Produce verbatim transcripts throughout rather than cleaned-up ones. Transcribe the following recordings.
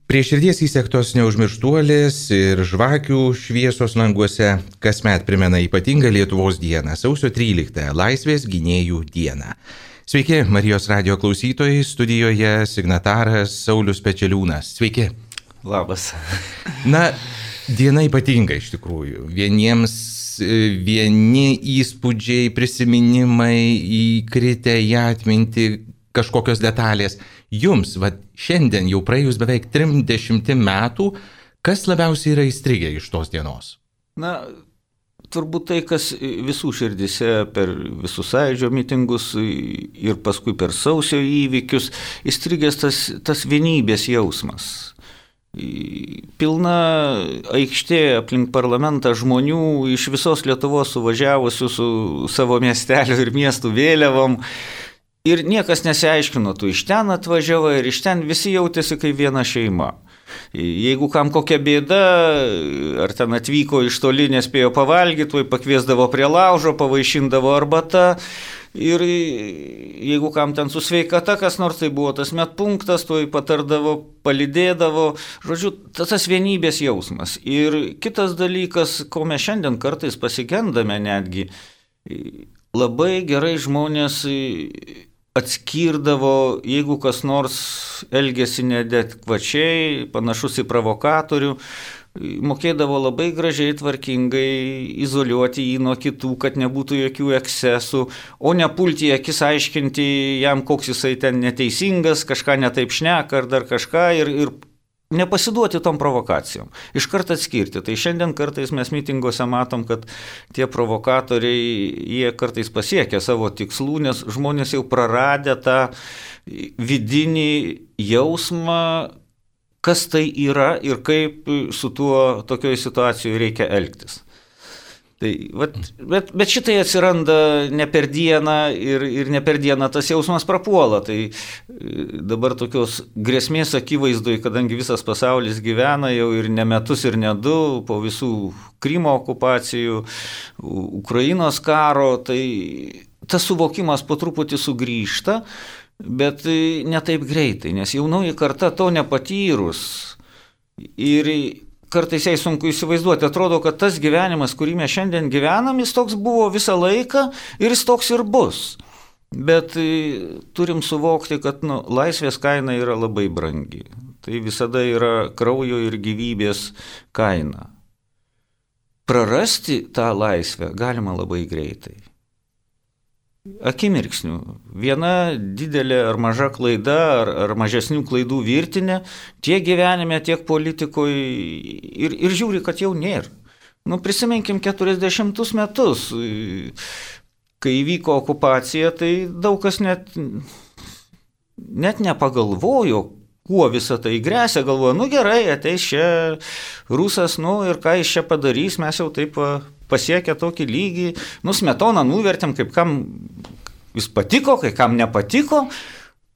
Prie širdies įsektos neužmirštuolės ir žvakių šviesos languose kasmet primena ypatingą Lietuvos dieną, sausio tryliktąją, Laisvės gynėjų dieną. Sveiki, Marijos radijo klausytojai, studijoje signataras Saulius Pečeliūnas. Sveiki. Labas. Na, diena ypatinga iš tikrųjų. Vieniems vieni įspūdžiai, prisiminimai įkritę į atmintį, kažkokios detalės. Jums, va, šiandien jau praėjus beveik trisdešimt metų, kas labiausiai yra įstrigę iš tos dienos? Na, turbūt tai, kas visų širdise per visus sąjūdžio mitingus ir paskui per sausio įvykius, įstrigęs tas, tas vienybės jausmas. Pilna aikštė aplink parlamentą žmonių iš visos Lietuvos suvažiavusių su savo miestelio ir miestų vėliavom. Ir niekas nesiaiškino, tu iš ten atvažiavai ir iš ten visi jautėsi kaip viena šeima. Jeigu kam kokia bėda, ar ten atvyko iš toli, nespėjo pavalgyti, tuoj pakviesdavo prie laužo, pavaišindavo arbata. Ir jeigu kam ten su sveikata, kas nors tai buvo tas medpunktas, tuoj patardavo, palydėdavo. Žodžiu, tas vienybės jausmas. Ir kitas dalykas, ko mes šiandien kartais pasigendame netgi, labai gerai žmonės atskirdavo, jeigu kas nors elgėsi neadekvačiai, panašus į provokatorių, mokėdavo labai gražiai, tvarkingai izoliuoti jį nuo kitų, kad nebūtų jokių ekscesų, o nepulti į akis aiškinti jam, koks jisai ten neteisingas, kažką netaip šneka ar dar kažką ir, ir nepasiduoti tom provokacijom. Iš karto atskirti. Tai šiandien kartais mes mitinguose matom, kad tie provokatoriai, jie kartais pasiekia savo tikslų, nes žmonės jau praradę tą vidinį jausmą, kas tai yra ir kaip su tuo tokioje situacijoje reikia elgtis. Tai, vat, bet, bet šitai atsiranda ne per dieną ir, ir ne per dieną tas jausmas prapuola. Tai dabar tokios grėsmės akivaizdoj, kadangi visas pasaulis gyvena jau ir ne metus ir ne du, po visų Krymo okupacijų, Ukrainos karo, tai tas suvokimas po truputį sugrįžta, bet ne taip greitai, nes jaunoji karta to nepatyrus ir kartais jai sunku įsivaizduoti. Atrodo, kad tas gyvenimas, kurį mes šiandien gyvenam, jis toks buvo visą laiką ir jis toks ir bus. Bet turim suvokti, kad nu, laisvės kaina yra labai brangi. Tai visada yra kraujo ir gyvybės kaina. Prarasti tą laisvę galima labai greitai. Akimirksnių. Viena didelė ar maža klaida, ar, ar mažesnių klaidų virtinė, tiek gyvenime, tiek politikoje ir, ir žiūri, kad jau nėra. Nu, prisiminkim keturiasdešimtus metus, kai įvyko okupacija, tai daug kas net, net nepagalvojo, kuo visą tai grėsia, galvoja, nu gerai, ateis čia rusas, nu ir ką jis čia padarys, mes jau taip pasiekę tokį lygį, nu Smetoną nuvertėm, kaip kam jis patiko, kai kam nepatiko,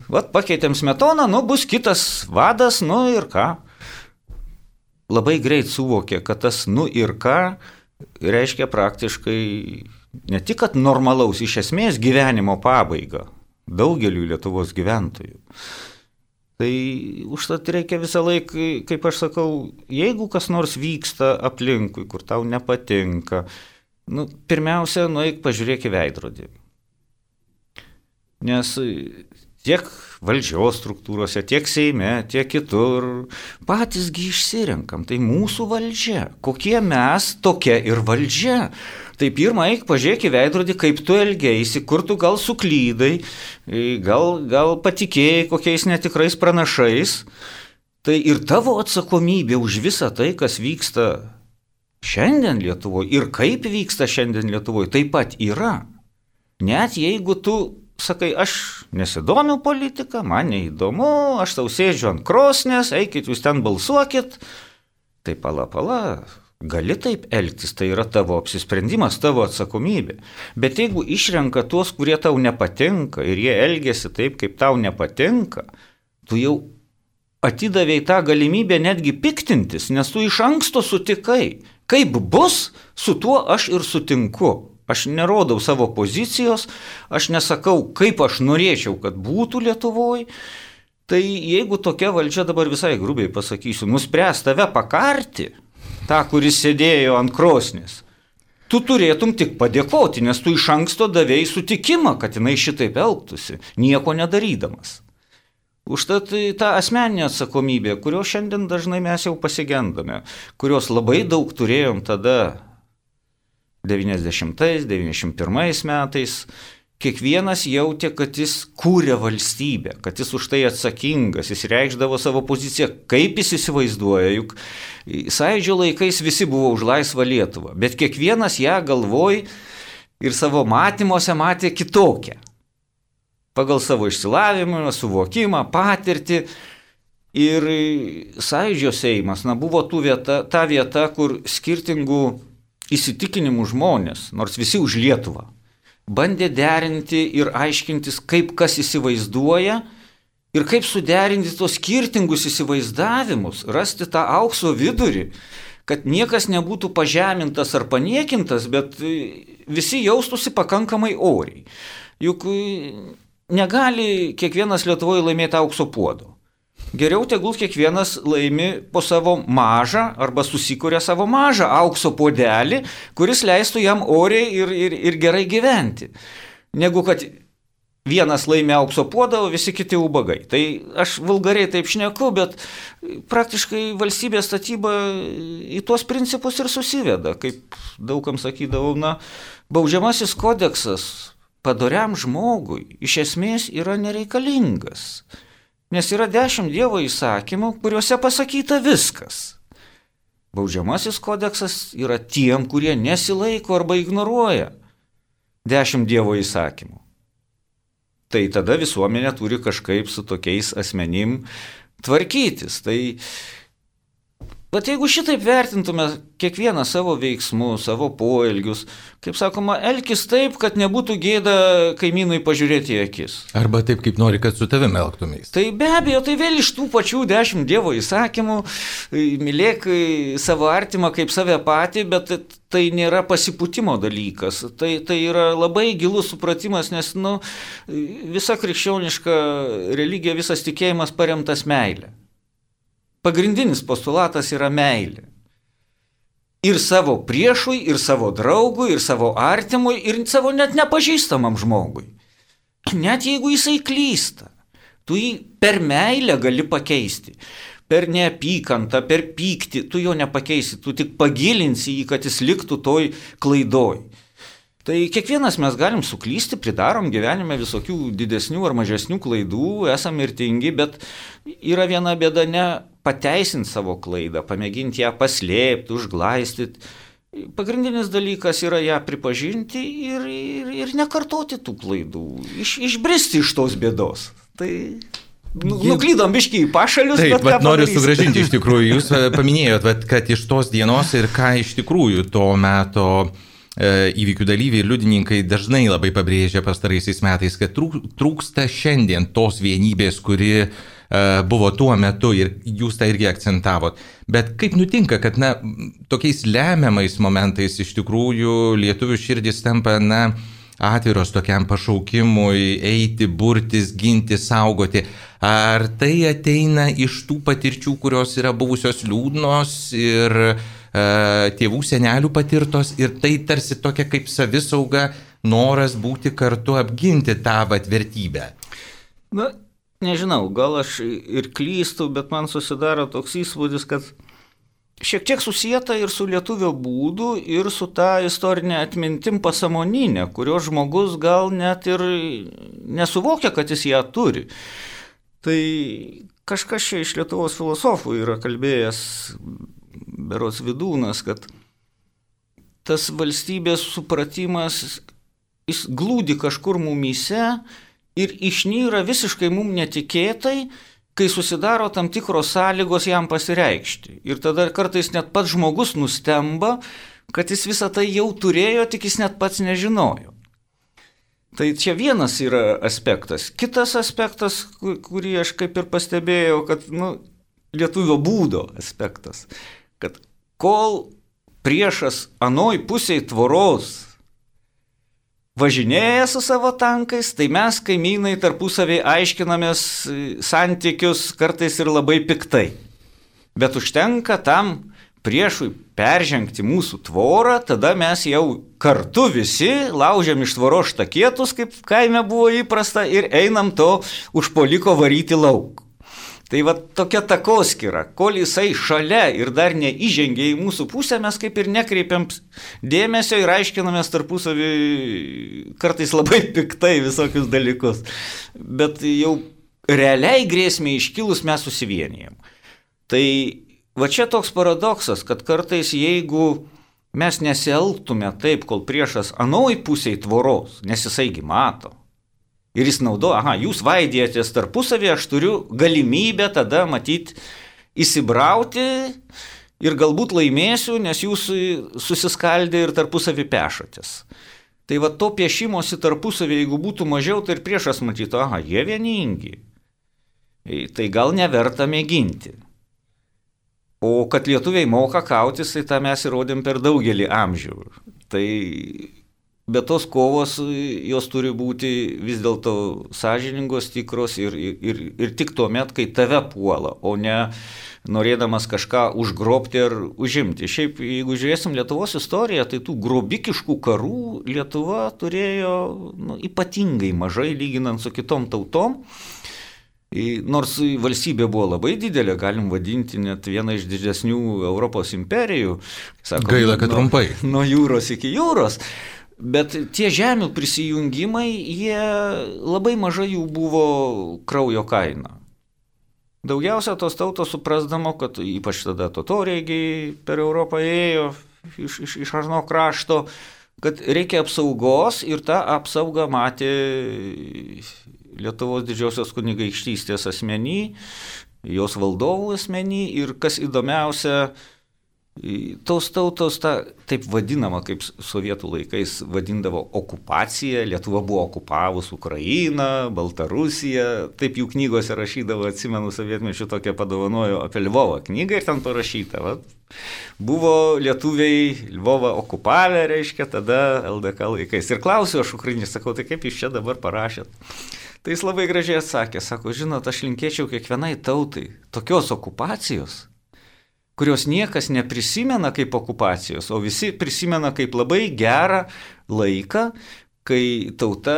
vat pakeitėm Smetoną, nu bus kitas vadas, nu ir ką. Labai greit suvokė, kad tas nu ir ką reiškia praktiškai ne tik, kad normalaus iš esmės gyvenimo pabaigą daugeliu Lietuvos gyventojų. Tai užtat reikia visą laiką, kaip aš sakau, jeigu kas nors vyksta aplinkui, kur tau nepatinka, nu, pirmiausia, nueik pažiūrėk į veidrodį. Nes tiek valdžios struktūrose, tiek Seime, tiek kitur, patysgi išsirenkam, tai mūsų valdžia. Kokie mes, tokia ir valdžia. Tai pirmą eik pažiūrėk į veidrodį, kaip tu elgeisi, kur tu gal suklydai, gal, gal patikėjai kokiais netikrais pranašais. Tai ir tavo atsakomybė už visą tai, kas vyksta šiandien Lietuvoje ir kaip vyksta šiandien Lietuvoje, taip pat yra. Net jeigu tu sakai, aš nesidomiu politiką, man neįdomu, aš tau sėdžiu ant krosnės, eikit jūs ten balsuokit, tai pala, pala. Gali taip elgtis, tai yra tavo apsisprendimas, tavo atsakomybė. Bet jeigu išrenka tuos, kurie tau nepatinka ir jie elgiasi taip, kaip tau nepatinka, tu jau atidavėjai tą galimybę netgi piktintis, nes tu iš anksto sutikai. Kaip bus, su tuo aš ir sutinku. Aš nerodau savo pozicijos, aš nesakau, kaip aš norėčiau, kad būtų Lietuvoje, Tai jeigu tokia valdžia, dabar visai grubiai pasakysiu, nuspręs tave pakarti, tą, kuris sėdėjo ant krosnės, tu turėtum tik padėkoti, nes tu iš anksto davėjai sutikimą, kad jinai šitaip elgtųsi, nieko nedarydamas. Užtat ta asmeninė atsakomybė, kurios šiandien dažnai mes jau pasigendame, kurios labai daug turėjom tada devyniasdešimtais, devyniasdešimt pirmais metais, kiekvienas jautė, kad jis kūrė valstybę, kad jis už tai atsakingas, jis reikšdavo savo poziciją, kaip jis įsivaizduoja, juk Sąjūdžio laikais visi buvo už laisvą Lietuvą, bet kiekvienas ją galvoj ir savo matymuose matė kitokią. Pagal savo išsilavimą, suvokimą, patirtį. Ir Sąjūdžio Seimas na, buvo tų vieta, ta vieta, kur skirtingų įsitikinimų žmonės, nors visi už Lietuvą, bandė derinti ir aiškintis, kaip kas įsivaizduoja ir kaip suderinti tos skirtingus įsivaizdavimus, rasti tą aukso vidurį, kad niekas nebūtų pažemintas ar paniekintas, bet visi jaustųsi pakankamai oriai. Juk negali kiekvienas Lietuvoje laimėti aukso puodo. Geriau tegul kiekvienas laimi po savo mažą arba susikuria savo mažą aukso puodelį, kuris leistų jam oriai ir, ir, ir gerai gyventi. Negu kad vienas laimi aukso puodą, o visi kiti ubagai. Tai aš vulgariai taip šneku, bet praktiškai valstybės statyba į tuos principus ir susiveda. Kaip daugam sakydavau, na, baudžiamasis kodeksas padoriam žmogui iš esmės yra nereikalingas. Nes yra dešimt Dievo įsakymų, kuriuose pasakyta viskas. Baudžiamasis kodeksas yra tiem, kurie nesilaiko arba ignoruoja dešimt Dievo įsakymų. Tai tada visuomenė turi kažkaip su tokiais asmenim tvarkytis. Tai, bet jeigu šitaip vertintume kiekvieną savo veiksmų, savo poelgius, kaip sakoma, elkis taip, kad nebūtų gėda kaimynui pažiūrėti į akis. Arba taip, kaip nori, kad su tavimi elgtumės. Tai be abejo, tai vėl iš tų pačių dešimt Dievo įsakymų, mylėk savo artimą kaip save patį, bet tai nėra pasipūtimo dalykas. Tai, tai yra labai gilus supratimas, nes nu, visa krikščioniška religija, visas tikėjimas paremtas meilė. Pagrindinis postulatas yra meilė. Ir savo priešui, ir savo draugui, ir savo artimui, ir savo net nepažįstamam žmogui. Net jeigu jisai klysta, tu jį per meilę gali pakeisti. Per neapykantą, per pyktį, tu jo nepakeisi, tu tik pagilinsi jį, kad jis liktų toj klaidoj. Tai kiekvienas mes galim suklysti, pridarom gyvenime visokių didesnių ar mažesnių klaidų, esam mirtingi, bet yra viena bėda ne pateisinti savo klaidą, pamėginti ją paslėpti, užglaistyti. Pagrindinis dalykas yra ją pripažinti ir, ir, ir nekartoti tų klaidų, iš, išbristi iš tos bėdos. Tai nu, nuklydom biškį į pašalius. Taip, bet bet noriu sugrąžinti iš tikrųjų. Jūs paminėjot, bet, kad iš tos dienos ir ką iš tikrųjų to meto įvykių dalyviai ir liudininkai dažnai labai pabrėžia pastaraisiais metais, kad trūksta šiandien tos vienybės, kuri buvo tuo metu ir jūs tą irgi akcentavot. Bet kaip nutinka, kad na, tokiais lemiamais momentais iš tikrųjų lietuvių širdis tampa na, atviros tokiam pašaukimui eiti, burtis, ginti, saugoti. Ar tai ateina iš tų patirčių, kurios yra buvusios liūdnos ir tėvų senelių patirtos ir tai tarsi tokia kaip savisauga, noras būti kartu apginti tą vat vertybę? Na, nežinau, gal aš ir klystu, bet man susidaro toks įspūdis, kad šiek tiek susijęta ir su lietuvio būdu, ir su ta istorinė atmintim pasąmoninė, kurio žmogus gal net ir nesuvokia, kad jis ją turi. Tai kažkas čia iš Lietuvos filosofų yra kalbėjęs, berods Vidūnas, kad tas valstybės supratimas, jis glūdi kažkur mumyse ir išnyra visiškai mum netikėtai, kai susidaro tam tikros sąlygos jam pasireikšti. Ir tada kartais net pats žmogus nustemba, kad jis visą tai jau turėjo, tik jis net pats nežinojo. Tai čia vienas yra aspektas. Kitas aspektas, kurį aš kaip ir pastebėjau, kad nu, lietuvio būdo aspektas, kad kol priešas anoj pusėj tvoros važinėja su savo tankais, tai mes kaimynai tarpusavį aiškinamės santykius kartais ir labai piktai. Bet užtenka tam priešui peržengti mūsų tvorą, tada mes jau kartu visi laužiam iš tvoros štakėtus, kaip kaime buvo įprasta, ir einam to užpuoliko varyti lauk. Tai va tokia takoskyra, kol jisai šalia ir dar neįžengia į mūsų pusę, mes kaip ir nekreipiam dėmesio ir aiškinamės tarpusavį kartais labai piktai visokius dalykus. Bet jau realiai grėsmė iškilus mes susivienijam. Tai va čia toks paradoksas, kad kartais jeigu mes nesielgtume taip, kol priešas anoj pusėj tvoros, nes jisaigi mato, ir jis naudoja, aha, jūs vaidėjatės tarpusavį, aš turiu galimybę tada matyti įsibrauti ir galbūt laimėsiu, nes jūs susiskaldė ir tarpusavį pešatės. Tai va to piešimosi tarpusavį, jeigu būtų mažiau, tai ir priešas matytų, aha, jie vieningi. Tai gal neverta mėginti. O kad lietuviai moka kautis, tai tą mes įrodėm per daugelį amžių. Tai bet tos kovos, jos turi būti vis dėlto sąžiningos, tikros ir, ir, ir tik tuo met, kai tave puola, o ne norėdamas kažką užgrobti ar užimti. Šiaip, jeigu žiūrėsim Lietuvos istoriją, tai tų grobikiškų karų Lietuva turėjo nu, ypatingai mažai lyginant su kitom tautom. Nors valstybė buvo labai didelė, galim vadinti net vieną iš didesnių Europos imperijų. Sakom, gaila, kad nuo, trumpai. Nuo jūros iki jūros. Bet tie žemių prisijungimai, jie labai mažai jų buvo kraujo kaina. Daugiausia tos tautos suprasdamo, kad ypač tada totoriai per Europą ėjo iš, iš, iš Arno krašto, kad reikia apsaugos ir tą apsaugą matė Lietuvos didžiosios kunigaikštystės asmenį, jos valdovų asmenį ir kas įdomiausia, tos tautos, ta, taip vadinama, kaip sovietų laikais vadindavo okupacija, Lietuva buvo okupavus Ukrainą, Baltarusiją, taip jų knygose rašydavo, atsimenu, sovietmečių tokią padovanojo apie Lvovą knygą ir ten parašyta, va, buvo lietuviai Lvovą okupavę, reiškia, tada L D K laikais. Ir klausiu aš ukrainiečių, sakau, tai kaip jūs čia dabar parašėt? Tai jis labai gražiai atsakė, sako, žinot, aš linkėčiau kiekvienai tautai tokios okupacijos, kurios niekas neprisimena kaip okupacijos, o visi prisimena kaip labai gerą laiką, kai tauta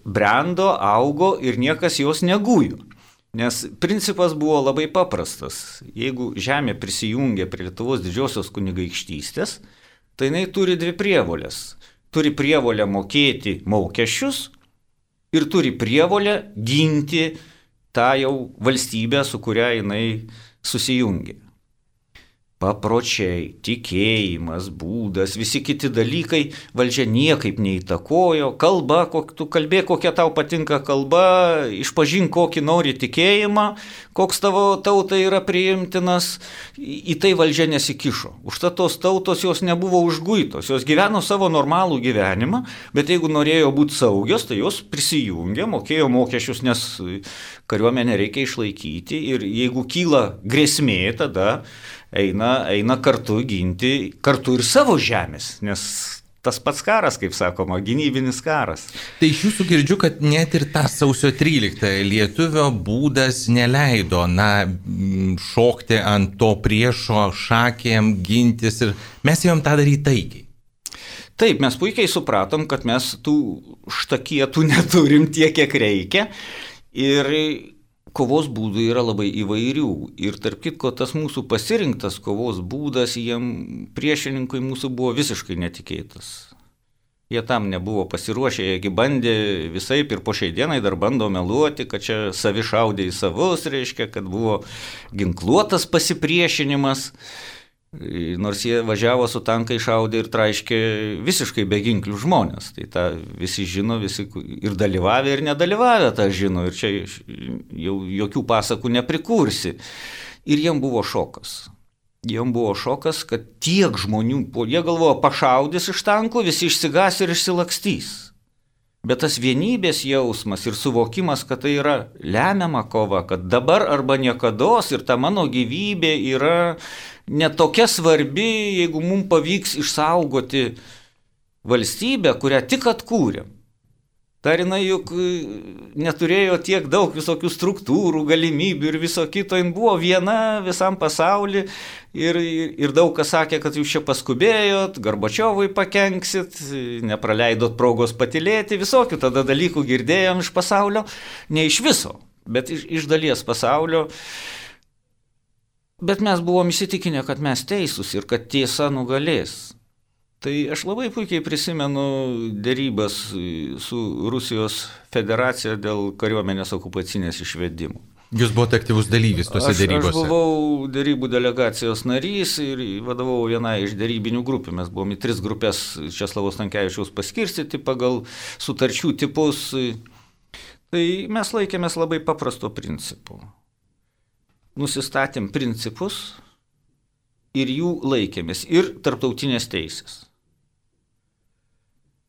brendo, augo ir niekas jos negujo. Nes principas buvo labai paprastas. Jeigu žemė prisijungia prie Lietuvos didžiosios kunigaikštystės, tai jinai turi dvi prievolės. Turi prievolę mokėti mokesčius ir turi prievolę ginti tą jau valstybę, su kuria jinai susijungia. Papročiai, tikėjimas, būdas, visi kiti dalykai valdžia niekaip neįtakojo. Kalba, kok, tu kalbė, kokia tau patinka kalba, išpažink kokį nori tikėjimą, koks tavo tautai yra priimtinas, į tai valdžia nesikišo. Užtat tos tautos jos nebuvo užguitos, jos gyveno savo normalų gyvenimą, bet jeigu norėjo būti saugios, tai jos prisijungė, mokėjo mokesčius, nes kariuomenę reikia išlaikyti ir jeigu kyla grėsmė, tada eina, eina kartu ginti, kartu ir savo žemės, nes tas pats karas, kaip sakoma, gynybinis karas. Tai iš jūsų girdžiu, kad net ir tą sausio tryliktąją lietuvio būdas neleido, na, šokti ant to priešo šakėm, gintis ir mes ėjom tą daryti taikiai. Taip, mes puikiai supratom, kad mes tų štakietų neturim tiek, kiek reikia ir kovos būdų yra labai įvairių ir tarp kitko tas mūsų pasirinktas kovos būdas jiem priešininkui mūsų buvo visiškai netikėtas. Jie tam nebuvo pasiruošę, jiegi bandė visaip ir po šiai dienai dar bando meluoti, kad čia savi šaudė į savus, reiškia, kad buvo ginkluotas pasipriešinimas, nors jie važiavo su tankai, šaudė ir traiškė visiškai beginklių žmonės. Tai tą visi žino, visi ir dalyvavę, ir nedalyvavę tą žino, ir čia jau jokių pasakų neprikursi. Ir jiem buvo šokas. Jiem buvo šokas, kad tiek žmonių, jie galvojo, pašaudys iš tankų, visi išsigas ir išsilakstys. Bet tas vienybės jausmas ir suvokimas, kad tai yra lemiama kova, kad dabar arba niekados ir ta mano gyvybė yra netokia svarbi, jeigu mums pavyks išsaugoti valstybę, kurią tik atkūrėm. Dar jinai juk neturėjo tiek daug visokių struktūrų, galimybių ir viso kito, jin buvo viena visam pasauliu ir, ir daug kas sakė, kad jūs čia paskubėjot, Gorbačiovui pakenksit, nepraleidot progos patylėti, visokių tada dalykų girdėjom iš pasaulio, ne iš viso, bet iš, iš dalies pasaulio. Bet mes buvom įsitikinę, kad mes teisūs ir kad tiesa nugalės. Tai aš labai puikiai prisimenu dėrybas su Rusijos federacija dėl kariuomenės okupacinės išvedimų. Jūs buvote aktyvus dalyvis tose aš, dėrybose? Aš buvau dėrybų delegacijos narys ir vadovau vienai iš dėrybinių grupių. Mes buvom į tris grupės Česlovo Stankevičiaus paskirstyti pagal sutarčių tipus. Tai mes laikėmės labai paprasto principų. Nusistatėm principus ir jų laikėmės ir tarptautinės teisės.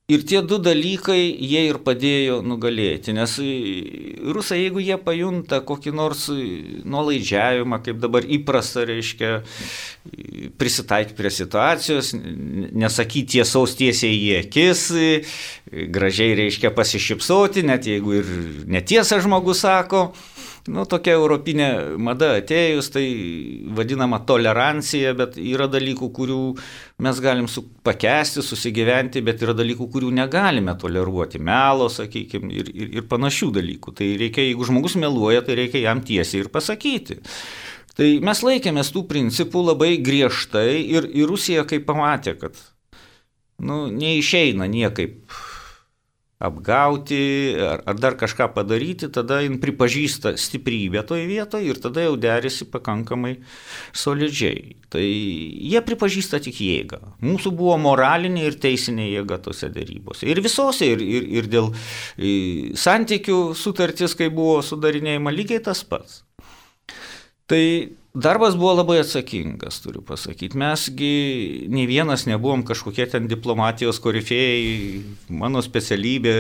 Ir tie du dalykai jie ir padėjo nugalėti, nes rusai, jeigu jie pajunta kokį nors nuolaidžiavimą, kaip dabar įprasta, reiškia, prisitaikyti prie situacijos, nesakyti tiesaus tiesiai į akis, gražiai, reiškia, pasišypsoti, net jeigu ir netiesą žmogus sako, nu, tokia europinė mada atėjus, tai vadinama tolerancija, bet yra dalykų, kurių mes galim su, pakęsti, susigyventi, bet yra dalykų, kurių negalime toleruoti, melo, sakykime, ir, ir, ir panašių dalykų. Tai reikia, jeigu žmogus meluoja, tai reikia jam tiesiai ir pasakyti. Tai mes laikėmės tų principų labai griežtai ir, ir Rusija, kai pamatė, kad nu, neišeina niekaip apgauti ar, ar dar kažką padaryti, tada jin pripažįsta stiprybę toje vietoje ir tada jau derisi pakankamai solidžiai. Tai jie pripažįsta tik jėgą. Mūsų buvo moralinė ir teisinė jėga tose dėrybose. Ir visose, ir, ir, ir dėl ir santykių sutartis, kai buvo sudarinėjama, lygiai tas pats. Tai darbas buvo labai atsakingas, turiu pasakyti. Mesgi nei vienas nebuvom kažkokie ten diplomatijos korifėjai. Mano specialybė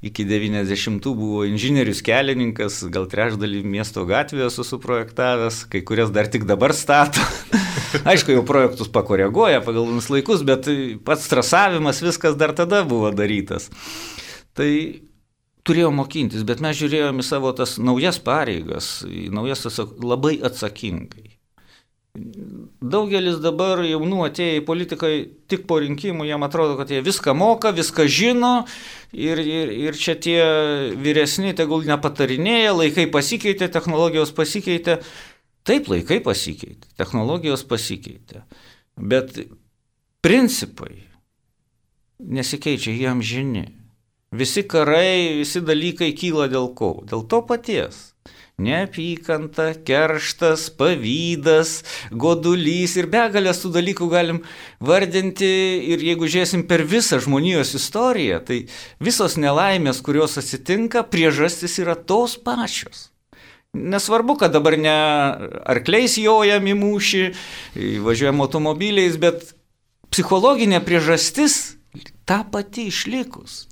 iki devyniasdešimtų buvo inžinierius kelininkas, gal trečdalį miesto gatvėje esu suprojektavęs, kai kurias dar tik dabar stato. Aišku, jau projektus pakoreguoja pagal vienus laikus, bet pats trasavimas viskas dar tada buvo darytas. Tai turėjau mokintis, bet mes žiūrėjome į savo tas naujas pareigas, į naujas labai atsakingai. Daugelis dabar jaunų atėję į politiką tik po rinkimų, jam atrodo, kad jie viską moka, viską žino ir, ir, ir čia tie vyresni tegul nepatarinėja, laikai pasikeitė, technologijos pasikeitė. Taip, laikai pasikeitė, technologijos pasikeitė, bet principai nesikeičia, jie amžini. Visi karai, visi dalykai kyla dėl ko? Dėl to paties. Neapykanta, kerštas, pavydas, godulys ir begalės tų dalykų galim vardinti ir jeigu žiūrėsim per visą žmonijos istoriją, tai visos nelaimės, kurios atsitinka, priežastis yra tos pačios. Nesvarbu, kad dabar ne arkliais jojam į mūšį, važiuojam automobiliais, bet psichologinė priežastis ta pati išlikus.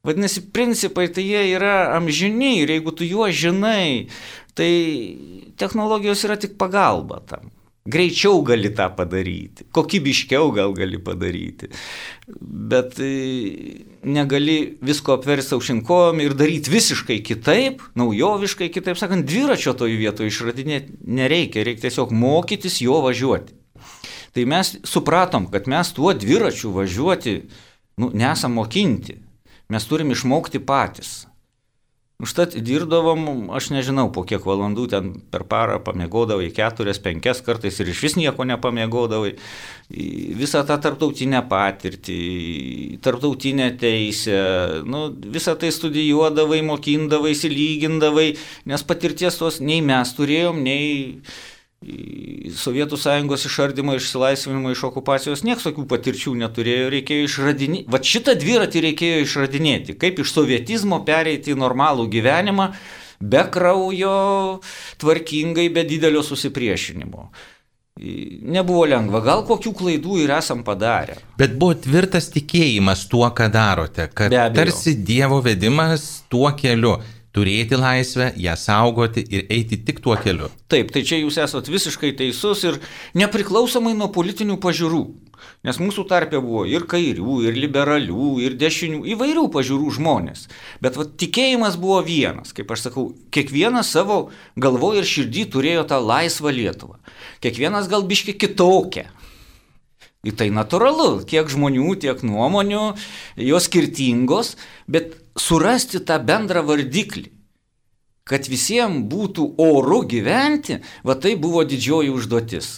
Vadinasi, principai tai jie yra amžini ir jeigu tu juos žinai, tai technologijos yra tik pagalba tam. Greičiau gali tą padaryti, kokybiškiau gal gali padaryti, bet negali visko apversti aukštyn kojom ir daryti visiškai kitaip, naujoviškai kitaip, sakant, dviračio toj vietoje išradinėti nereikia, reikia tiesiog mokytis jo važiuoti. Tai mes supratom, kad mes tuo dviračiu važiuoti nu, nesam mokinti. Mes turim išmokti patys. Užtat dirbdavom, aš nežinau, po kiek valandų ten per parą pamiegodavai, keturias, penkias kartais ir iš vis nieko nepamiegodavai. Visą tą tarptautinę patirtį, tarptautinę teisę, nu, visą tai studijuodavai, mokindavai, lygindavai, nes patirties tos nei mes turėjom, nei Sovietų Sąjungos išardymo, išsilaisvinimo iš okupacijos, nieks tokių patirčių neturėjo, reikėjo išradinėti. Vat šitą dviratį reikėjo išradinėti, kaip iš sovietizmo pereiti į normalų gyvenimą, be kraujo, tvarkingai, be didelio susipriešinimo. Nebuvo lengva, gal kokių klaidų ir esam padarę. Bet buvo tvirtas tikėjimas tuo, ką darote, kad tarsi Dievo vedimas tuo keliu. turėti laisvę, ją saugoti ir eiti tik tuo keliu. Taip, tai čia jūs esat visiškai teisus ir nepriklausomai nuo politinių pažiūrų. Nes mūsų tarpe buvo ir kairių, ir liberalių, ir dešinių, įvairių pažiūrų žmonės. Bet va, tikėjimas buvo vienas, kaip aš sakau, kiekvienas savo galvoje ir širdį turėjo tą laisvą Lietuvą. Kiekvienas gal biški kitokia. Ir tai natūralu, kiek žmonių, tiek nuomonių, jos skirtingos, bet surasti tą bendrą vardiklį, kad visiems būtų oru gyventi, va tai buvo didžioji užduotis.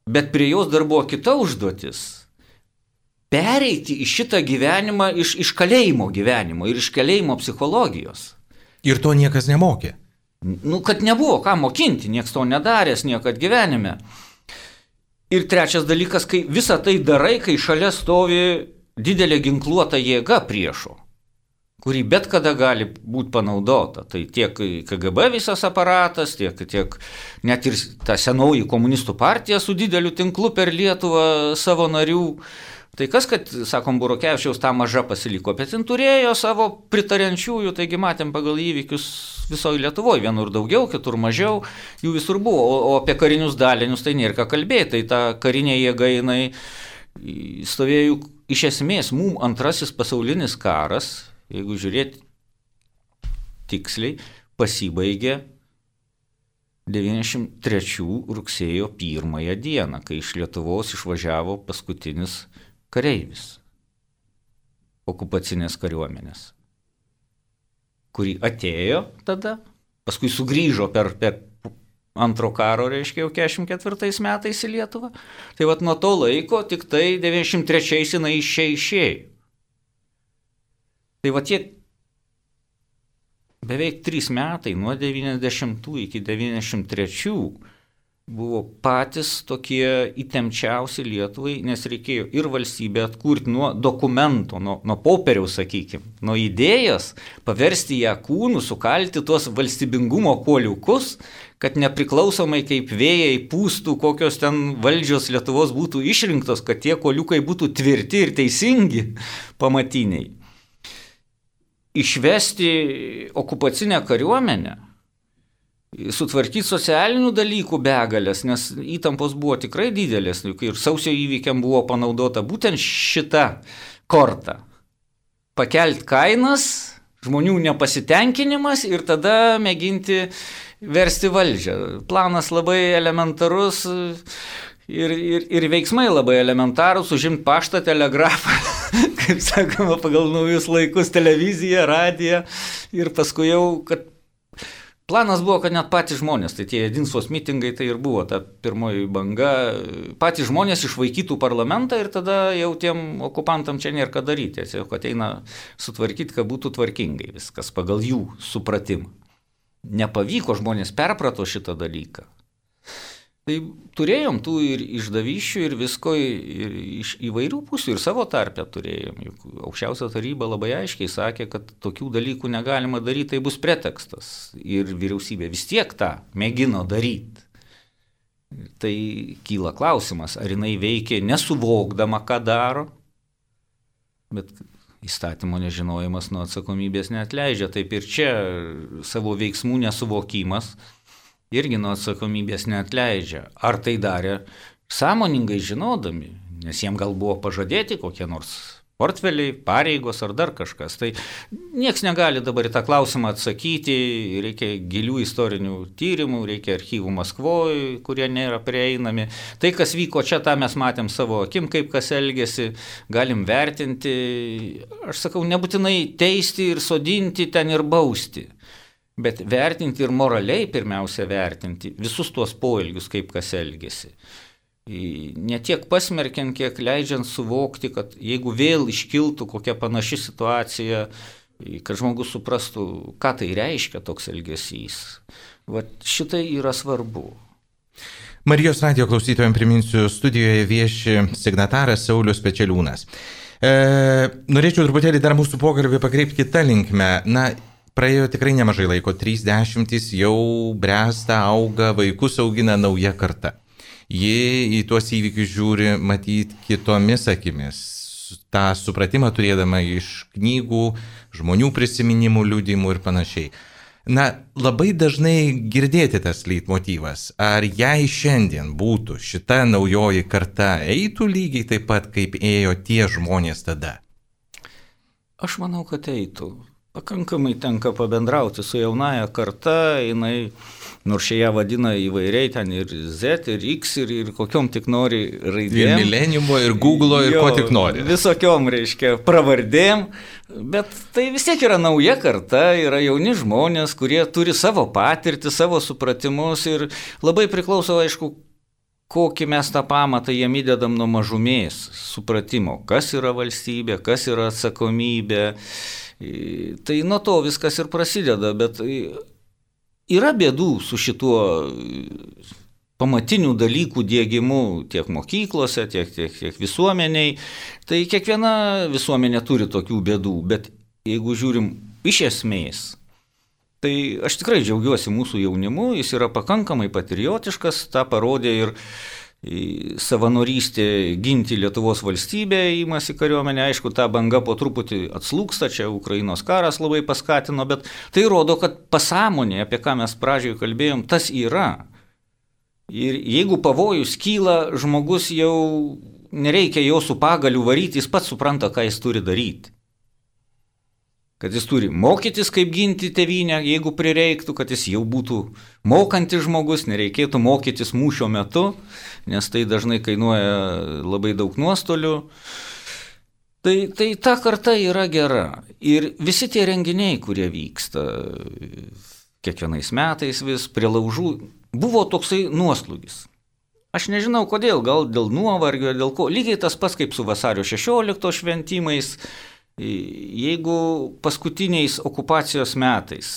Bet prie jos dar buvo kita užduotis – pereiti į šitą gyvenimą iš, iš kalėjimo gyvenimo ir iš kalėjimo psichologijos. Ir to niekas nemokė. Nu, kad nebuvo ką mokinti, niekas to nedaręs niekad gyvenime. Ir trečias dalykas, kai visą tai darai, kai šalia stovi didelė ginkluota jėga priešo, kuri bet kada gali būti panaudota. Tai tiek K G B visas aparatas, tiek, tiek net ir ta senoji komunistų partija su dideliu tinklu per Lietuvą savo narių. Tai kas, kad, sakom, Burokevičiaus tą mažą pasiliko, bet jin turėjo savo pritariančiųjų, taigi matėm pagal įvykius visoje Lietuvoje, vienur daugiau, kitur mažiau, jų visur buvo. O, o apie karinius dalinius tai nėra ką kalbėti, tai ta karinė jėga jinai stovėjo iš esmės mum antrasis pasaulinis karas, jeigu žiūrėti tiksliai, pasibaigė devyniasdešimt trečių rugsėjo pirmąją dieną, kai iš Lietuvos išvažiavo paskutinis kareivis okupacinės kariuomenės, kuri atėjo tada, paskui sugrįžo per, per antro karo, reiškia, jau keturiasdešimt ketvirtais metais į Lietuvą. Tai vat nuo to laiko tik tai devyniasdešimt trečiais jinai išėjo. Tai va tie beveik trys metai nuo devyniasdešimtų iki devyniasdešimt trečių buvo patys tokie įtempčiausi Lietuvai, nes reikėjo ir valstybę atkurti nuo dokumento, nuo, nuo popieriaus, sakykime, nuo idėjos, paversti ją kūnų, sukalti tuos valstybingumo kuoliukus, kad nepriklausomai kaip vėjai pūstų, kokios ten valdžios Lietuvos būtų išrinktos, kad tie kuoliukai būtų tvirti ir teisingi pamatiniai. Išvesti okupacinę kariuomenę, sutvarkyti socialinių dalykų begalės, nes įtampos buvo tikrai didelės, ir sausio įvykiam buvo panaudota būtent šita korta. Pakelti kainas, žmonių nepasitenkinimas ir tada mėginti versti valdžią. Planas labai elementarus ir, ir, ir veiksmai labai elementarus, užimti paštą, telegrafą, kaip sakoma, pagal naujus laikus, televiziją, radiją ir paskui jau, kad planas buvo, kad net patys žmonės, tai tie Jedinsvos mitingai, tai ir buvo ta pirmoji banga, patys žmonės išvaikytų parlamentą ir tada jau tiem okupantam čia nėra ką daryti, tiesiog ateina sutvarkyti, kad būtų tvarkingai viskas pagal jų supratimą. Nepavyko, žmonės perprato šitą dalyką. Tai turėjom tų ir išdavyščių ir visko ir iš įvairių pusių ir savo tarpę turėjom. Juk aukščiausia taryba labai aiškiai sakė, kad tokių dalykų negalima daryti, tai bus pretekstas. Ir vyriausybė vis tiek tą mėgino daryti. Tai kyla klausimas, ar jinai veikė nesuvokdama, ką daro, bet įstatymo nežinojimas nuo atsakomybės neatleidžia. Taip ir čia savo veiksmų nesuvokimas irgi nuo atsakomybės neatleidžia. Ar tai darė sąmoningai žinodami, nes jiem gal buvo pažadėti kokie nors portfeliai, pareigos ar dar kažkas. Tai nieks negali dabar į tą klausimą atsakyti, reikia gilių istorinių tyrimų, reikia archyvų Maskvoje, kurie nėra prieinami. Tai, kas vyko čia, tą mes matėm savo akim, kaip kas elgėsi, galim vertinti. Aš sakau, nebūtinai teisti ir sodinti ten ir bausti. Bet vertinti ir moraliai pirmiausia vertinti visus tuos poelgius, kaip kas elgėsi. Ne tiek pasmerkiant, kiek leidžiant suvokti, kad jeigu vėl iškiltų kokia panaši situacija, kad žmogus suprastų, ką tai reiškia toks elgesys. Vat šitai yra svarbu. Marijos radijo klausytojams priminsiu, studijoje vieši signataras Saulius Pečeliūnas. E, norėčiau truputėlį dar mūsų pokalbį pakreipti kitą linkmę. Na, praėjo tikrai nemažai laiko, trys dešimtys jau bręsta, auga, vaikus augina nauja karta. Ji į tuos įvykius žiūri matyti kitomis akimis. Ta supratimą turėdama iš knygų, žmonių prisiminimų, liudijimų ir panašiai. Na, labai dažnai girdėti tas leitmotyvas. Ar jei šiandien būtų šita naujoji karta, eitų lygiai taip pat, kaip ėjo tie žmonės tada? Aš manau, kad eitų. Pakankamai tenka pabendrauti su jaunaja karta, jinai, nors šie ją vadina įvairiai, ten ir Z, ir X, ir, ir kokiom tik nori raidėm. Ir Millenniumo, ir Google'o, ir jo, ko tik nori. Visokiom, reiškia, pravardėm, bet tai vis tiek yra nauja karta, yra jauni žmonės, kurie turi savo patirtį, savo supratimus ir labai priklauso, aišku, kokį mes tą pamatą jiem įdedam nuo mažumės supratimo, kas yra valstybė, kas yra atsakomybė. Tai nuo to viskas ir prasideda, bet yra bėdų su šituo pamatinių dalykų diegimu tiek mokyklose, tiek, tiek, tiek visuomeniai. Tai kiekviena visuomenė turi tokių bėdų, bet jeigu žiūrim iš esmės, tai aš tikrai džiaugiuosi mūsų jaunimu, jis yra pakankamai patriotiškas, tą parodė ir savanorystė ginti Lietuvos valstybę, įmasi kariuomenė, aišku, ta banga po truputį atslūksta, čia Ukrainos karas labai paskatino, bet tai rodo, kad pasąmonė, apie ką mes pradžioje kalbėjom, tas yra. Ir jeigu pavojus kyla, žmogus jau nereikia jo su pagaliu varyti, jis pats supranta, ką jis turi daryti. Kad jis turi mokytis, kaip ginti tėvynę, jeigu prireiktų, kad jis jau būtų mokantis žmogus, nereikėtų mokytis mūšio metu, nes tai dažnai kainuoja labai daug nuostolių. Tai, tai ta karta yra gera. Ir visi tie renginiai, kurie vyksta kiekvienais metais vis prie laužų, buvo toksai nuoslūgis. Aš nežinau kodėl, gal dėl nuovargio, dėl ko. Lygiai tas pats kaip su vasario šešioliktos šventimais. Jeigu paskutiniais okupacijos metais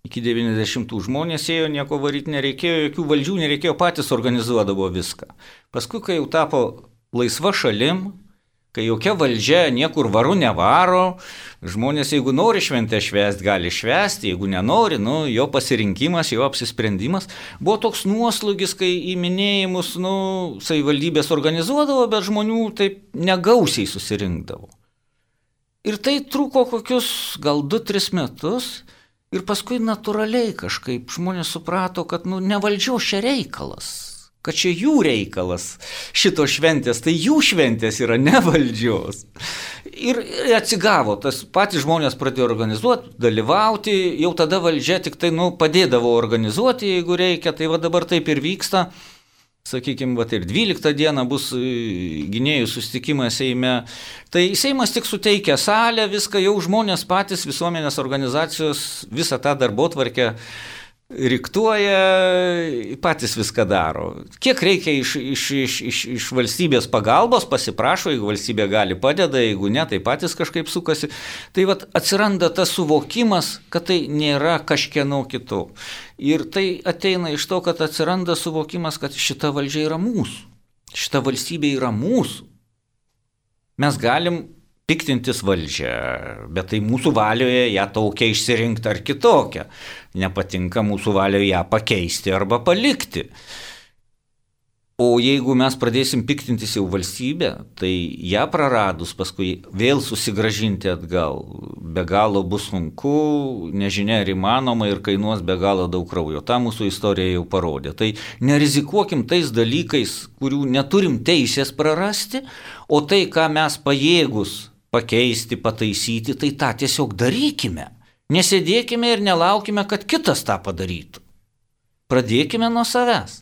iki devyniasdešimtų žmonės ėjo, nieko varyti nereikėjo, jokių valdžių nereikėjo, patys organizuodavo viską. Paskui, kai jau tapo laisva šalim, kai jokia valdžia niekur varu nevaro, žmonės, jeigu nori šventę švęsti, gali švęsti, jeigu nenori, nu, jo pasirinkimas, jo apsisprendimas. Buvo toks nuoslūgis, kai į minėjimus, nu, savivaldybės organizuodavo, bet žmonių taip negausiai susirinkdavo. Ir tai truko kokius gal du tris metus ir paskui natūraliai kažkaip žmonės suprato, kad nu, ne valdžios čia reikalas, kad čia jų reikalas šito šventės, tai jų šventės yra ne valdžios. Ir atsigavo, tas patys žmonės pradėjo organizuoti, dalyvauti, jau tada valdžia tik tai nu, padėdavo organizuoti, jeigu reikia, tai va dabar taip ir vyksta. Sakykime, va, ir dvyliktą dieną bus gynėjų susitikimas Seime. Tai Seimas tik suteikia salę, viską jau žmonės patys, visuomenės organizacijos, visą tą darbotvarkę riktuoja, patys viską daro. Kiek reikia iš, iš, iš, iš, iš valstybės pagalbos, pasiprašo, jeigu valstybė gali padeda, jeigu ne, tai patys kažkaip sukasi. Tai vat, atsiranda tas suvokimas, kad tai nėra kažkieno kito. Ir tai ateina iš to, kad atsiranda suvokimas, kad šita valdžia yra mūsų. Šita valstybė yra mūsų. Mes galim piktintis valdžią, bet tai mūsų valioje ją tokia išsirinkti ar kitokią. Nepatinka mūsų valioje ją pakeisti arba palikti. O jeigu mes pradėsim piktintis jau valstybę, tai ją praradus paskui vėl susigražinti atgal. Be galo bus sunku, nežinia ar įmanoma ir kainuos be galo daug kraujo. Ta mūsų istorija jau parodė. Tai nerizikuokim tais dalykais, kurių neturim teisės prarasti, o tai, ką mes pajėgus pakeisti, pataisyti, tai tą tiesiog darykime. Nesėdėkime ir nelaukime, kad kitas tą padarytų. Pradėkime nuo savęs.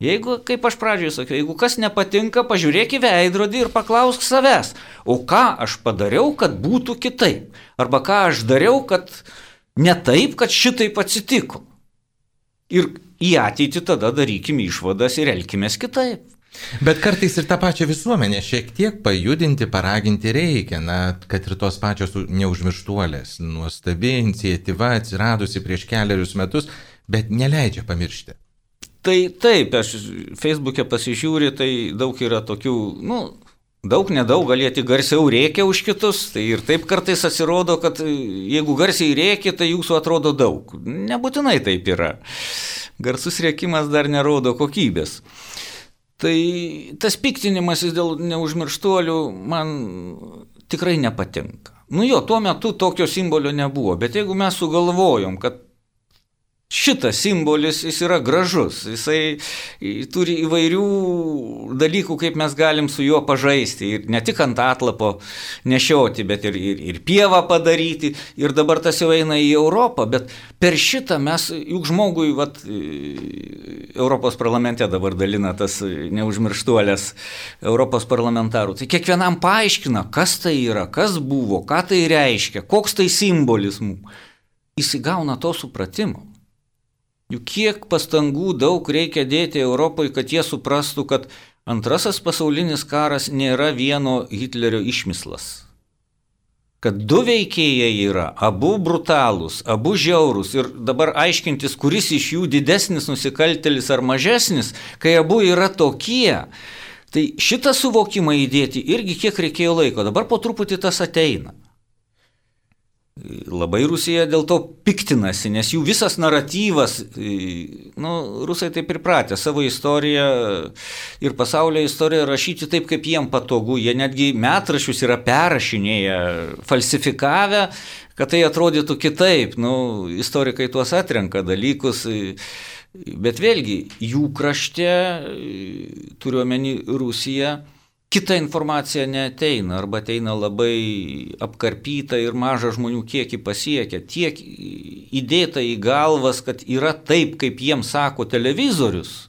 Jeigu, kaip aš pradžioje sakiau, jeigu kas nepatinka, pažiūrėk į veidrodį ir paklausk savęs, o ką aš padariau, kad būtų kitaip? Arba ką aš dariau, kad ne taip, kad šitaip atsitiko? Ir į ateitį tada darykim išvadas ir elkimės kitaip. Bet kartais ir tą pačią visuomenę šiek tiek pajudinti, paraginti reikia, na, kad ir tos pačios neužmirštuolės. Nuostabi iniciatyva atsiradusi prieš keliarius metus, bet neleidžia pamiršti. Tai taip, aš Facebook'e pasižiūriu, tai daug yra tokių, nu, daug nedaug, galėti garsiau rėkia už kitus, tai ir taip kartais atsirodo, kad jeigu garsiai rėkia, tai jūsų atrodo daug. Nebūtinai taip yra. Garsus rėkimas dar nerodo kokybės. Tai tas piktinimasis dėl neužmirštuolių man tikrai nepatinka. Nu jo, tuo metu tokio simbolio nebuvo, bet jeigu mes sugalvojom, kad šitas simbolis, jis yra gražus, jisai turi įvairių dalykų, kaip mes galim su juo pažaisti ir ne tik ant atlapo nešioti, bet ir, ir, ir pievą padaryti ir dabar tas jau eina į Europą, bet per šitą mes, juk žmogui, vat, Europos parlamente dabar dalina tas neužmirštuolės Europos parlamentarų, tai kiekvienam paaiškina, kas tai yra, kas buvo, ką tai reiškia, koks tai simbolis mums, jis įgauna to supratimo. Juk kiek pastangų daug reikia dėti Europoje, kad jie suprastų, kad antrasis pasaulinis karas nėra vieno Hitlerio išmislas. Kad du veikėjai yra, abu brutalūs, abu žiaurūs ir dabar aiškintis, kuris iš jų didesnis nusikaltėlis ar mažesnis, kai abu yra tokie. Tai šitą suvokimą įdėti irgi kiek reikėjo laiko, dabar po truputį tas ateina. Labai Rusija dėl to piktinasi, nes jų visas naratyvas, nu, rusai taip pripratę savo istoriją ir pasaulio istoriją rašyti taip, kaip jiem patogu. Jie netgi metraščius yra perrašinėję, falsifikavę, kad tai atrodytų kitaip. Nu, istorikai tuos atrenka dalykus, bet vėlgi jų krašte, turiuomenį Rusiją, kita informacija neateina, arba ateina labai apkarpyta ir mažą žmonių kiekį pasiekia. Tiek įdėta į galvas, kad yra taip, kaip jiems sako televizorius,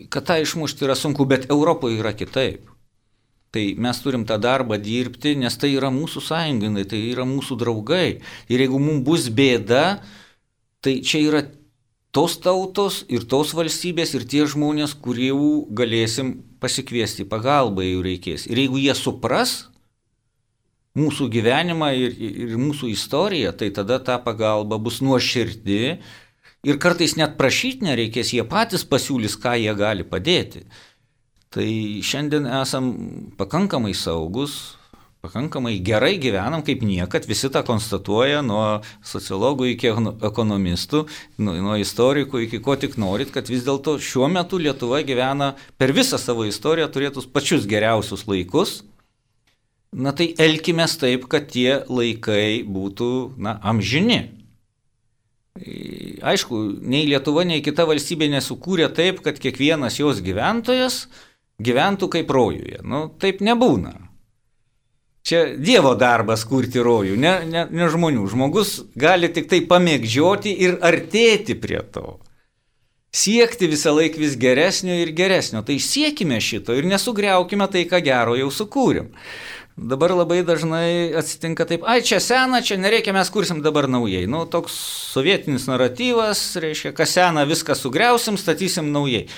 kad tą išmušti yra sunku, bet Europoje yra kitaip. Tai mes turim tą darbą dirbti, nes tai yra mūsų sąjungai, tai yra mūsų draugai. Ir jeigu mums bus bėda, tai čia yra tos tautos ir tos valstybės ir tie žmonės, kurių galėsim pasikviesti pagalbą, jeigu reikės. Ir jeigu jie supras mūsų gyvenimą ir, ir mūsų istoriją, tai tada ta pagalba bus nuoširdi ir kartais net prašyti nereikės, jie patys pasiūlys, ką jie gali padėti. Tai šiandien esam pakankamai saugus, pakankamai gerai gyvenam, kaip niekad, visi tą konstatuoja, nuo sociologų iki ekonomistų, nuo, nuo istorikų iki ko tik norit, kad vis dėlto šiuo metu Lietuva gyvena per visą savo istoriją turėtus pačius geriausius laikus. Na tai elkimės taip, kad tie laikai būtų, na, amžini. Aišku, nei Lietuva, nei kita valstybė nesukūrė taip, kad kiekvienas jos gyventojas gyventų kaip rojuje. Nu, taip nebūna. Čia Dievo darbas kurti rojų, ne, ne, ne žmonių. Žmogus gali tik tai pamėgdžioti ir artėti prie to. Siekti visą laiką vis geresnio ir geresnio. Tai siekime šito ir nesugriaukime tai, ką gero jau sukūrėm. Dabar labai dažnai atsitinka taip, ai čia sena, čia nereikia, mes kursim dabar naujai. Nu, toks sovietinis naratyvas, reiškia, kas sena, viską sugriausim, statysim naujai.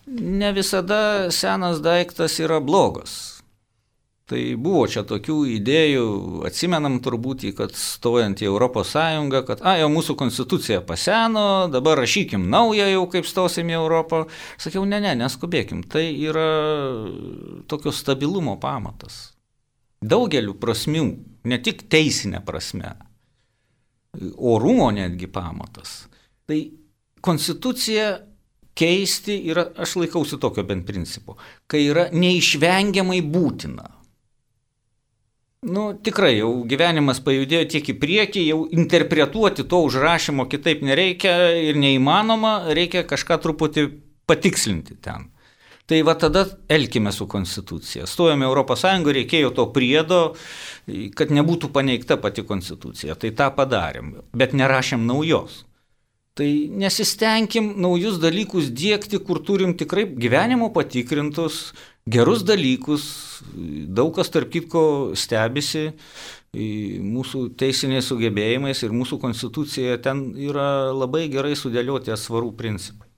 Ne visada senas daiktas yra blogas. Tai buvo čia tokių idėjų, atsimenam turbūt, kad stojant į Europos Sąjungą, kad a, jau mūsų konstitucija paseno, dabar rašykim naują jau, kaip stosim į Europą. Sakiau, ne, ne, neskubėkim, tai yra tokio stabilumo pamatas. Daugeliu prasmių, ne tik teisinė prasme, orumo netgi pamatas. Tai konstitucija keisti yra, aš laikausi tokio bent principo, kai yra neišvengiamai būtina. Nu, tikrai, jau gyvenimas pajudėjo tiek į priekį, jau interpretuoti to užrašymo kitaip nereikia ir neįmanoma, reikia kažką truputį patikslinti ten. Tai va tada elkime su konstitucija. Stojame Europos Sąjungą, reikėjo to priedo, kad nebūtų paneigta pati konstitucija. Tai tą padarėm, bet nerašėm naujos. Tai nesistengim naujus dalykus diegti, kur turim tikrai gyvenimo patikrintus, gerus dalykus. Daug kas tarp kitko stebisi mūsų teisiniais sugebėjimais ir mūsų konstitucija ten yra labai gerai sudėlioti atsvarų principai.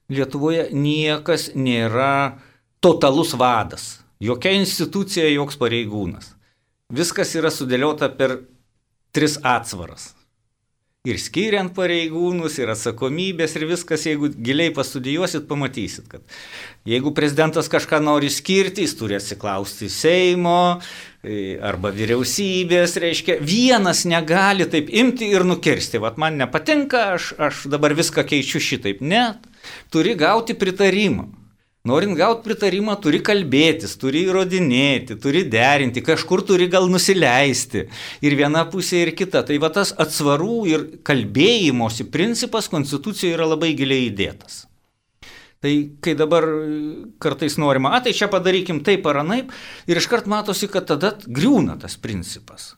Lietuvoje niekas nėra totalus vadas, jokia institucija, joks pareigūnas. Viskas yra sudėliota per tris atsvaras. Ir skiriant pareigūnus, ir atsakomybės, ir viskas, jeigu giliai pastudijuosit, pamatysit, kad jeigu prezidentas kažką nori skirti, jis turi atsiklausti Seimo arba vyriausybės, reiškia, vienas negali taip imti ir nukirsti. Vat man nepatinka, aš, aš dabar viską keičiu šitaip. Ne, turi gauti pritarimą. Norint gauti pritarimą, turi kalbėtis, turi įrodinėti, turi derinti, kažkur turi gal nusileisti. Ir viena pusė, ir kita. Tai va tas atsvarų ir kalbėjimosi principas Konstitucijoje yra labai giliai įdėtas. Tai kai dabar kartais norima, a, tai čia padarykim taip ar anaip, ir iškart matosi, kad tada griūna tas principas.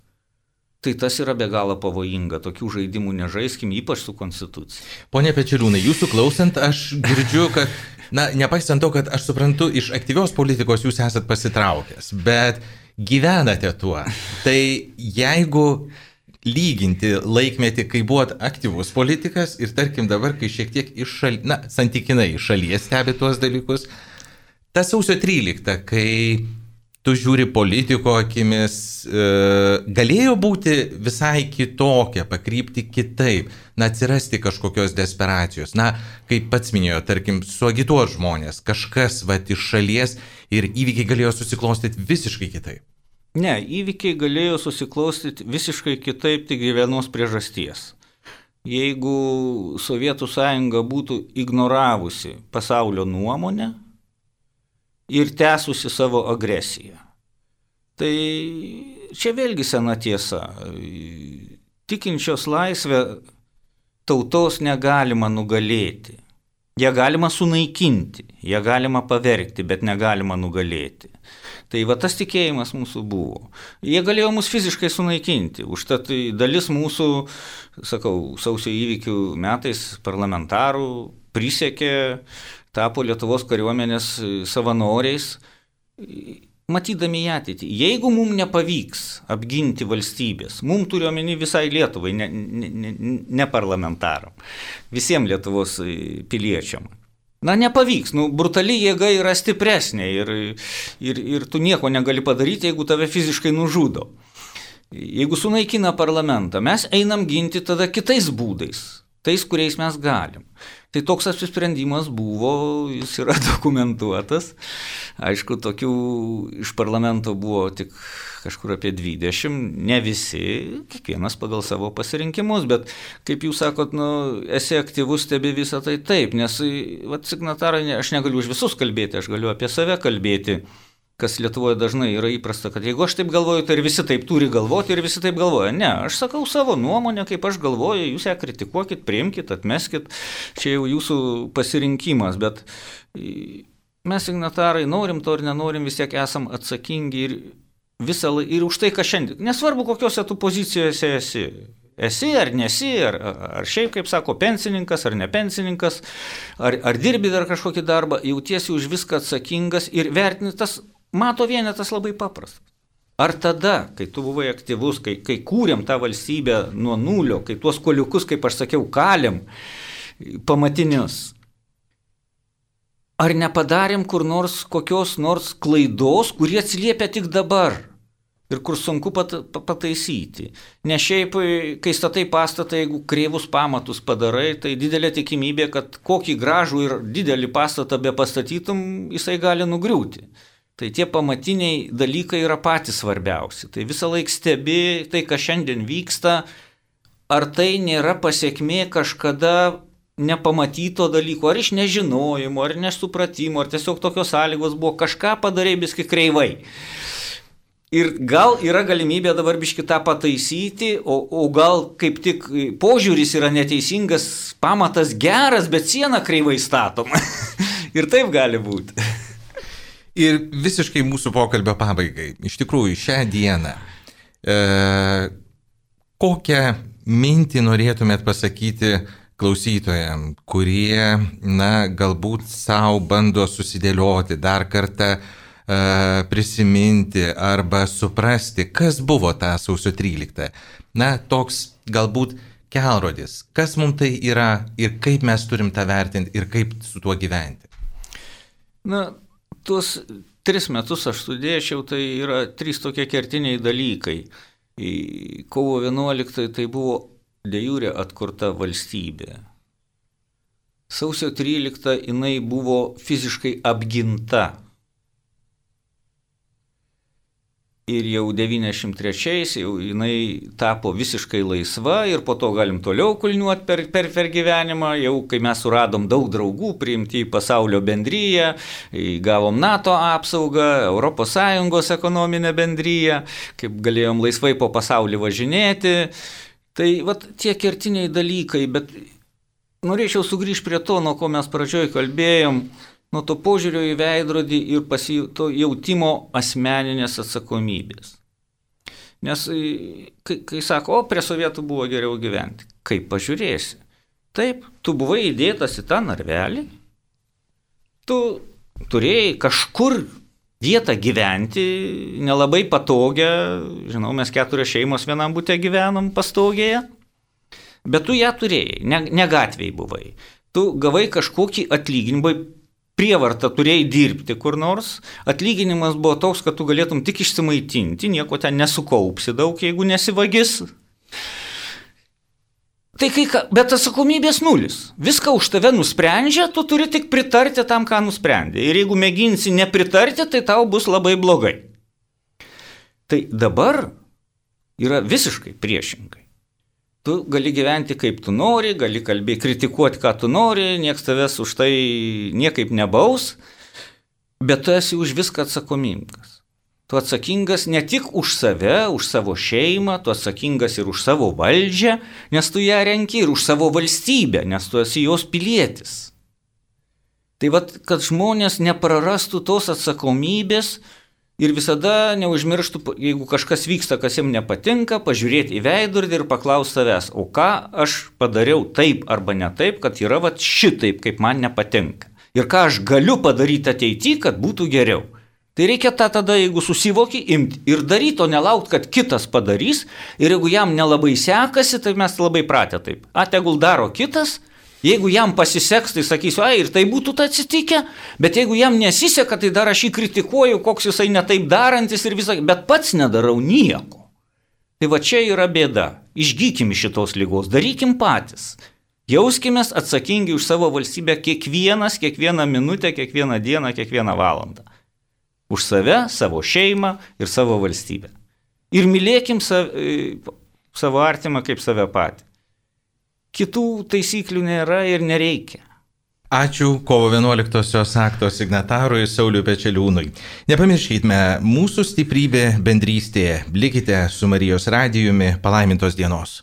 Tai tas yra be galo pavojinga, tokių žaidimų nežaiskim, ypač su Konstitucija. Pone Pečeliūnai, jūsų klausant, aš girdžiu, kad, na, nepaisant to, kad aš suprantu, iš aktyvios politikos jūs esat pasitraukęs, bet gyvenate tuo. Tai jeigu lyginti laikmetį, kai buvot aktyvus politikas ir tarkim dabar, kai šiek tiek iš šalies, na, santykinai iš šalies stebi tuos dalykus, ta sausio trylikta, kai tu žiūri politiko akimis, e, galėjo būti visai kitokia, pakrypti kitaip, na, atsirasti kažkokios desperacijos. Na, kaip pats minėjo, tarkim, suagituot žmonės, kažkas, va, iš šalies ir įvykiai galėjo susiklostyti visiškai kitaip. Ne, įvykiai galėjo susiklostyti visiškai kitaip, tik vienos priežasties. Jeigu Sovietų sąjunga būtų ignoravusi pasaulio nuomonę ir tęsusi savo agresiją. Tai čia vėlgi sena tiesa. Tikinčios laisvę tautos negalima nugalėti. Ją galima sunaikinti, ją galima pavergti, bet negalima nugalėti. Tai va tas tikėjimas mūsų buvo. Jie galėjo mus fiziškai sunaikinti. Užtat dalis mūsų, sakau, sausio įvykių metais parlamentarų prisiekė, tapo Lietuvos kariuomenės savanoriais, matydami į ateitį. Jeigu mums nepavyks apginti valstybės, mums turiu omeny visai Lietuvai, ne, ne, ne, ne parlamentaram, visiems Lietuvos piliečiam. Na, nepavyks, nu, brutali jėga yra stipresnė ir, ir, ir tu nieko negali padaryti, jeigu tave fiziškai nužudo. Jeigu sunaikina parlamentą, mes einam ginti tada kitais būdais, tais, kuriais mes galim. Tai toks apsisprendimas buvo, jis yra dokumentuotas. Aišku, tokių iš parlamento buvo tik kažkur apie dvidešimt, ne visi, kiekvienas pagal savo pasirinkimus, bet kaip jūs sakot, nu, esi aktyvus, stebi visą tai taip, nes, vat, signatarai, aš negaliu už visus kalbėti, aš galiu apie save kalbėti, kas Lietuvoje dažnai yra įprasta, kad jeigu aš taip galvoju, tai ir visi taip turi galvoti ir visi taip galvoja. Ne, aš sakau savo nuomonę, kaip aš galvoju, jūs ją kritikuokit, priimkit, atmeskit, čia jau jūsų pasirinkimas, bet mes signatarai norim to ir nenorim, vis tiek esam atsakingi ir, visą, ir už tai, ką šiandien, nesvarbu kokiuose tu pozicijose esi, esi ar nesi, ar, ar šiaip, kaip sako, pensininkas ar ne pensininkas, ar, ar dirbi dar kažkokį darbą, jautiesi už viską atsakingas ir vertini tas. Mato vienetas labai paprastas. Ar tada, kai tu buvai aktyvus, kai, kai kūrėm tą valstybę nuo nulio, kai tuos koliukus, kaip aš sakiau, kalėm pamatinius, ar nepadarėm kur nors kokios nors klaidos, kurie atsiliepia tik dabar ir kur sunku pat, pataisyti? Ne šiaip, kai statai pastatą, jeigu kreivus pamatus padarai, tai didelė tikimybė, kad kokį gražų ir didelį pastatą be pastatytum, jisai gali nugriūti. Tai tie pamatiniai dalykai yra patys svarbiausi. Tai visą laiką stebi tai, kas šiandien vyksta, ar tai nėra pasiekmė kažkada nepamatyto dalyko, ar iš nežinojimo, ar nesupratimo, ar tiesiog tokios sąlygos buvo, kažką padarė biski kreivai. Ir gal yra galimybė dabar biški tą pataisyti, o, o gal kaip tik požiūris yra neteisingas, pamatas geras, bet siena kreivai statoma. Ir taip gali būti. Ir visiškai mūsų pokalbio pabaigai. Iš tikrųjų, šią dieną e, kokią mintį norėtumėt pasakyti klausytojams, kurie, na, galbūt savo bando susidėlioti, dar kartą e, prisiminti arba suprasti, kas buvo tą sausio tryliktą. Na, toks galbūt kelrodis, kas mums tai yra ir kaip mes turim tą vertinti ir kaip su tuo gyventi. Na, tuos tris metus aš studėčiau, tai yra trys tokie kertiniai dalykai. Kovo vienuoliktąją tai buvo de jure atkurta valstybė. Sausio tryliktą jinai buvo fiziškai apginta. ir jau devyniasdešimt trečiais jau jinai tapo visiškai laisva ir po to galim toliau kulniuoti per, per, per gyvenimą, jau kai mes suradom daug draugų, priimti į pasaulio bendryją, gavom NATO apsaugą, Europos Sąjungos ekonominę bendryją, kaip galėjom laisvai po pasaulį važinėti. Tai vat tie kertiniai dalykai, bet norėčiau sugrįžti prie to, nuo ko mes pradžioj kalbėjom, nuo to požiūrio į veidrodį ir to jautimo asmeninės atsakomybės. Nes kai, kai sako, o prie sovietų buvo geriau gyventi, kaip pažiūrėsi. Taip, tu buvai įdėtas į tą narvelį, tu turėjai kažkur vietą gyventi, nelabai patogią, žinau, mes keturios šeimos vienam bute gyvenom pastogėje, bet tu ją turėjai, ne, ne gatvėj buvai. Tu gavai kažkokį atlyginimą, prievartą turėjai dirbti kur nors, atlyginimas buvo toks, kad tu galėtum tik išsimaitinti, nieko ten nesukaupsi daug, jeigu nesivagis. Tai kai, bet atsakomybės nulis. Viską už tave nusprendžia, tu turi tik pritarti tam, ką nusprendė. Ir jeigu mėginsi nepritarti, tai tau bus labai blogai. Tai dabar yra visiškai priešingai. Tu gali gyventi kaip tu nori, gali kalbėti, kritikuoti, ką tu nori, nieks tavęs už tai niekaip nebaus, bet tu esi už viską atsakomingas. Tu atsakingas ne tik už save, už savo šeimą, tu atsakingas ir už savo valdžią, nes tu ją renki, ir už savo valstybę, nes tu esi jos pilietis. Tai vat, kad žmonės neprarastų tos atsakomybės, ir visada neužmirštų, jeigu kažkas vyksta, kas jiems nepatinka, pažiūrėti į veidrodį ir paklausti savęs, o ką aš padariau taip arba ne taip, kad yra vat šitaip, kaip man nepatinka. Ir ką aš galiu padaryti ateityje, kad būtų geriau. Tai reikia tą tada, jeigu susivoki, imti ir daryti, o nelaukti, kad kitas padarys. Ir jeigu jam nelabai sekasi, tai mes labai pratę taip. A, tegul daro kitas. Jeigu jam pasiseks, tai sakysiu, ai, ir tai būtų tai atsitikę, bet jeigu jam nesiseka, tai dar aš jį kritikuoju, koks jisai netaip darantis ir visą, bet pats nedarau nieko. Tai va čia yra bėda. Išgykim iš šitos lygos, darykim patys. Jauskimės atsakingi už savo valstybę kiekvienas, kiekvieną minutę, kiekvieną dieną, kiekvieną valandą. Už save, savo šeimą ir savo valstybę. Ir mylėkim save, savo artimą kaip save patį. Kitų taisyklių nėra ir nereikia. Ačiū kovo vienuoliktosios akto signatarui Sauliui Pečeliūnui. Nepamirškite, mūsų stiprybė bendrystėje. Likite su Marijos radijumi. Palaimintos dienos.